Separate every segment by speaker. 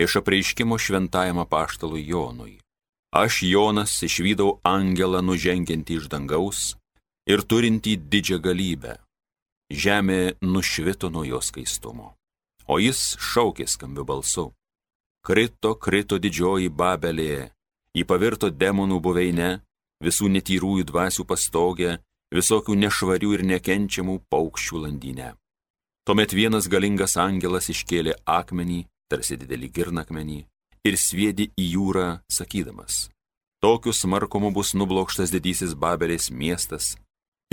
Speaker 1: iš apreiškimo šventajam apaštalui Jonui. Aš, Jonas, išvydau angelą nužengiantį iš dangaus ir turintį didžią galybę. Žemė nušvito nuo jo skaistumo, o jis šaukė skambiu balsu. Krito, krito didžioji Babelė, ji pavirto demonų buveinę, visų netyrųjų dvasių pastogę, visokių nešvarių ir nekenčiamų paukščių landynę. Tuomet vienas galingas angelas iškėlė akmenį, tarsi didelį girnakmenį, ir sviedė į jūrą, sakydamas: tokiu smarkumu bus nublokštas didysis Babelės miestas,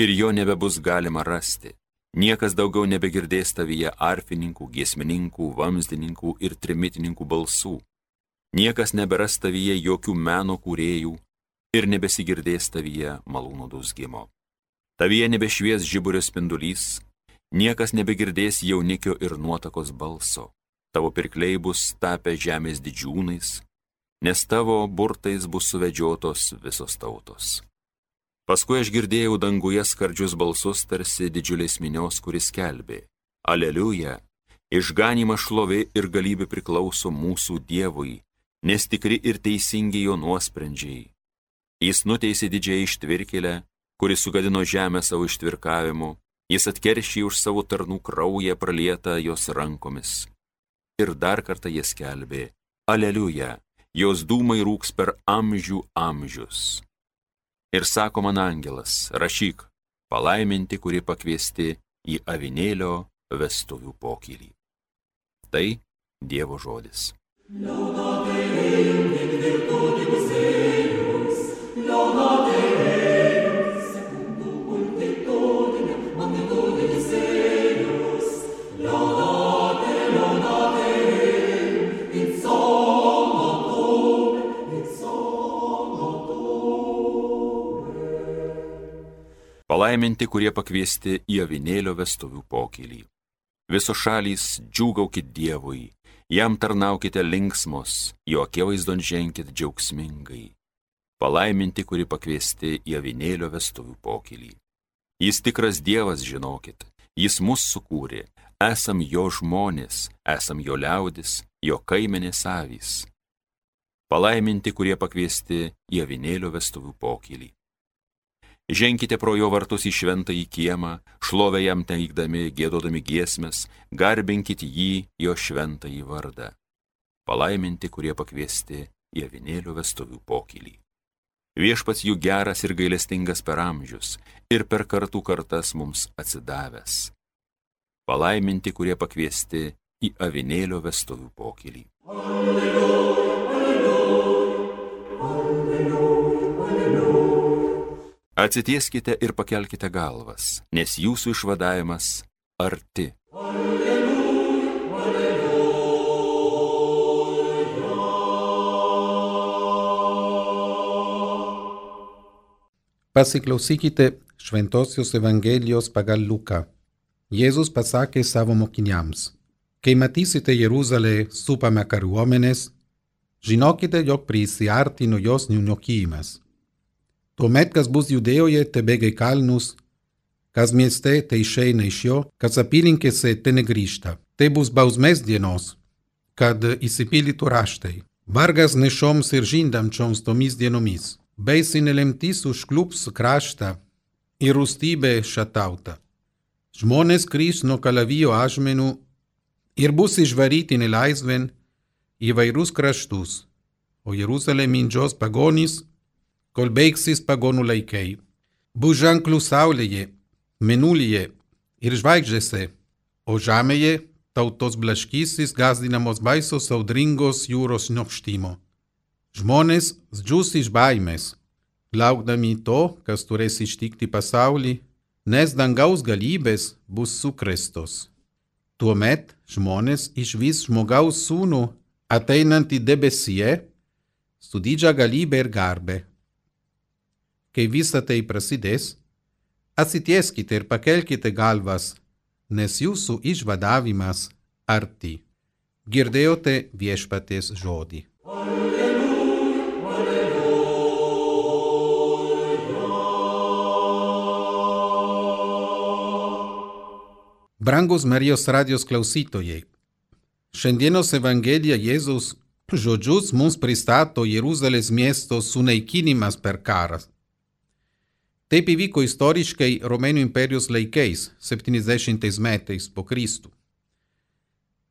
Speaker 1: ir jo nebebus galima rasti. Niekas daugiau nebegirdės tavyje arfininkų, giesmininkų, vamzdininkų ir trimitininkų balsų. Niekas neberas tavyje jokių meno kūrėjų ir nebesigirdės tavyje malūno dūzgimo. Tavyje nebešvies žiburio spindulys, niekas nebegirdės jaunikio ir nuotakos balso. Tavo pirkliai bus tapę žemės didžiūnais, nes tavo burtais bus suvedžiotos visos tautos. Paskui aš girdėjau danguje skardžius balsus tarsi didžiulės minios, kuris skelbė: Aleliuja, išganymas, šlovė ir galybė priklauso mūsų Dievui, nes tikri ir teisingi jo nuosprendžiai. Jis nuteisė didžiąją ištvirkėlę, kuris sugadino žemę savo ištvirkavimu, jis atkeršė už savo tarnų kraują pralietą jos rankomis. Ir dar kartą jis skelbė: Aleliuja, jos dūmai rūks per amžių amžius. Ir sako man angelas: rašyk, palaiminti, kurie pakviesti į avinėlio vestuvių pokylį. Tai Dievo žodis. Palaiminti, kurie pakviesti į avinėlio vestuvių pokylį. Visos šalys, džiūgaukit Dievui, jam tarnaukite linksmos, jo akivaizdon ženkit džiaugsmingai. Palaiminti, kurie pakviesti į avinėlio vestuvių pokylį. Jis tikras Dievas, žinokit, jis mus sukūrė, esam jo žmonės, esam jo liaudis, jo kaimenės avys. Palaiminti, kurie pakviesti į avinėlio vestuvių pokylį. Ženkite pro jo vartus į šventąjį kiemą, šlovę jam teikdami, giedodami giesmes, garbinkit jį, jo šventąjį vardą. Palaiminti, kurie pakviesti į avinėlio vestuvių pokylį. Viešpats jų geras ir gailestingas per amžius ir per kartų kartas mums atsidavęs. Palaiminti, kurie pakviesti į avinėlio vestuvių pokylį. Alleluja, alleluja, alleluja, alleluja. Atsitieskite ir pakelkite galvas, nes jūsų išvadavimas arti. Alleluja, alleluja.
Speaker 2: Pasiklausykite Šventosios Evangelijos pagal Luką. Jėzus pasakė savo mokiniams: kai matysite Jeruzalę supamą kariuomenės, žinokite, jog prisiartino jos nuniokimas. Tuomet, kas bus Judėjoje, tebėga į kalnus, kas mieste, tai išeina iš jo, kas apylinkėse, te negrįžta. Tai bus bausmės dienos, kad įsipildytų raštai. Vargas nešoms ir žindančioms tomis dienomis. Baisi nelemtis užklups kraštą ir rūstybė šią tautą. Žmonės grįš nuo kalavijo ažmenų ir bus išvaryti nelaisvėn į vairius kraštus, o Jeruzalė mindžios pagonys, kol baigsis pagonų laikai. Bus ženklų saulėje, mėnulyje ir žvaigždėse, o žemėje tautos blaškysis gąsdinamos baisos audringos jūros šniokštimo. Žmonės džius iš baimės, laukdami to, kas turės ištikti pasaulį, nes dangaus galybės bus sukrėstos. Tuomet žmonės išvys žmogaus sūnų ateinantį debesyje su didžia galybė ir garbė. Kai visa tai prasidės, atsitieskite ir pakelkite galvas, nes jūsų išvadavimas arti. Girdėjote Viešpaties žodį. Alleluja, alleluja. Brangus Marijos radijos klausytojai, Šiandienos Evangelija Jėzaus žodžius mums pristato Jeruzalės miesto sunaikinimas per karą. Taip įvyko istoriškai Romėnų imperijos laikais, 70 metais po Kristų.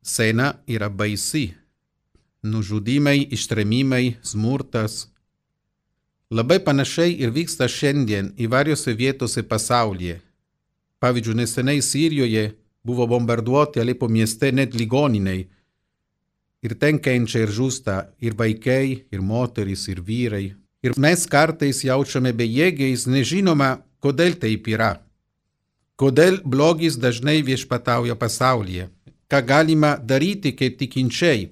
Speaker 2: Scena yra baisi. Nužudimai, ištrėmimai, smurtas. Labai panašiai ir vyksta šiandien įvairiose vietose pasaulyje. Pavyzdžiui, neseniai Sirijoje buvo bombarduoti Alepo mieste net ligoniniai. Ir ten kenčia ir žūsta ir vaikai, ir moterys, ir vyrai. Ir mes kartais jaučiame bejėgiais, nežinoma, kodėl taip yra. Kodėl blogis dažnai viešpatauja pasaulyje. Ką galima daryti kaip tikinčiai?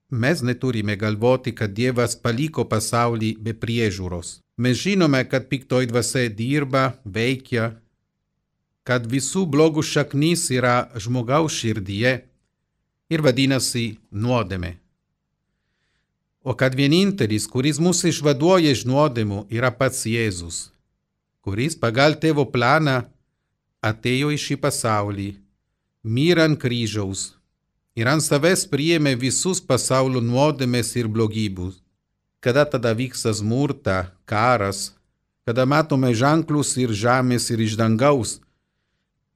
Speaker 2: Mes neturime galvoti, kad Dievas paliko pasaulį be priežiūros. Mes žinome, kad piktoji dvasia dirba, veikia, kad visų blogų šaknis yra žmogaus širdyje ir vadinasi nuodėmė. O kad vienintelis, kuris mus išvaduoja iš nuodėmų, yra pats Jėzus, kuris pagal tėvo planą atėjo į šį pasaulį, mirė ant kryžiaus ir ant savęs priėmė visus pasaulio nuodėmės ir blogybus. Kada tada vyksta smurta, karas, kada matome ženklus ir žemės ir iš dangaus,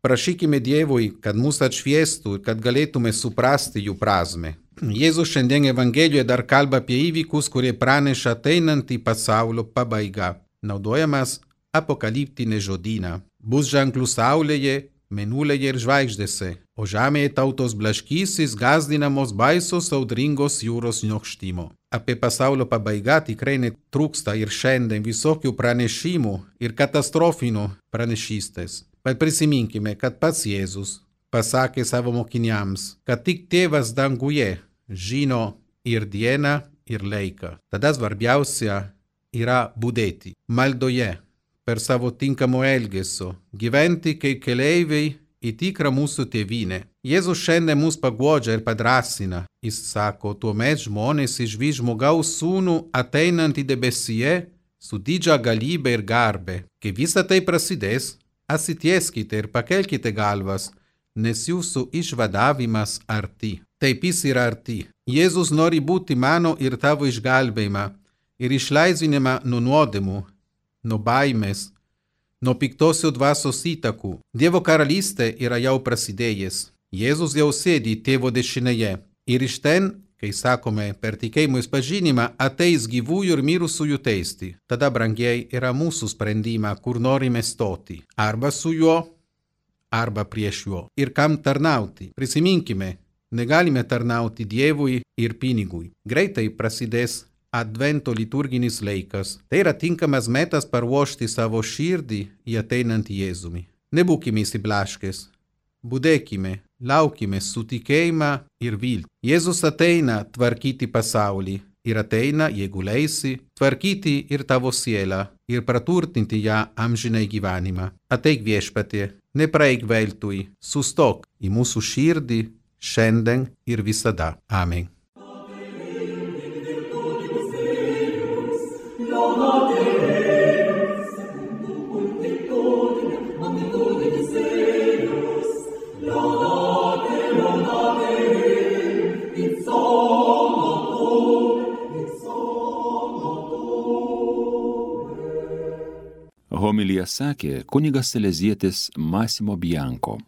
Speaker 2: prašykime Dievui, kad mus atšviestų ir kad galėtume suprasti jų prasmę. Jėzus šiandien Evangelijoje dar kalba apie įvykius, kurie praneša ateinantį pasaulio pabaigą. Naudojamas apokaliptinė žodyną. Bus ženklų saulėje, mėnulėje ir žvaigždėse, o žemėje tautos blaškysis, gąsdinamos baisos audringos jūros niokštimo. Apie pasaulio pabaigą tikrai netrūksta ir šiandien visokių pranešimų ir katastrofinių pranešystės. Bet prisiminkime, kad pats Jėzus pasakė savo mokiniams, kad tik tėvas danguje žino ir dieną, ir laiką. Tada svarbiausia yra budėti maldoje, per savo tinkamo elgesio, gyventi kaip keleiviai į tikrą mūsų tėvynę. Jėzus šiandien mus paguodžia ir padrasina. Jis sako, tuomet žmonės išvys žmogaus sūnų ateinantį debesyje su didžia galybė ir garbė. Kai visa tai prasidės, atsitieskite ir pakelkite galvas, nes jūsų išvadavimas arti. Taip jis yra arti. Jėzus nori būti mano ir tavo išgelbėjimą ir išlaisvinimą nuo nuodėmų, nuo baimės, nuo piktosios dvasios įtakų. Dievo karalystė yra jau prasidėjęs. Jėzus jau sėdi tėvo dešinėje. Ir iš ten, kai sakome, per tikėjimo išpažinimą ateis gyvųjų ir mirusiųjų teisti. Tada, brangiai, yra mūsų sprendimą, kur norime stoti. Arba su juo, arba prieš juo. Ir kam tarnauti? Prisiminkime, negalime tarnauti Dievui ir pinigui. Greitai prasidės Advento liturginis laikas. Tai yra tinkamas metas paruošti savo širdį į ateinantį Jėzumi. Nebūkime įsiblaškės. Budėkime, laukime su tikėjimą ir viltį. Jėzus ateina tvarkyti pasaulį ir ateina, jeigu leisi, tvarkyti ir tavo sielą ir praturtinti ją amžinai gyvenimą. Ateik viešpatie, nepraeik veltui, sustok į mūsų širdį šiandien ir visada. Amen.
Speaker 1: Homiliją sakė kunigas salezietis Massimo Bianco.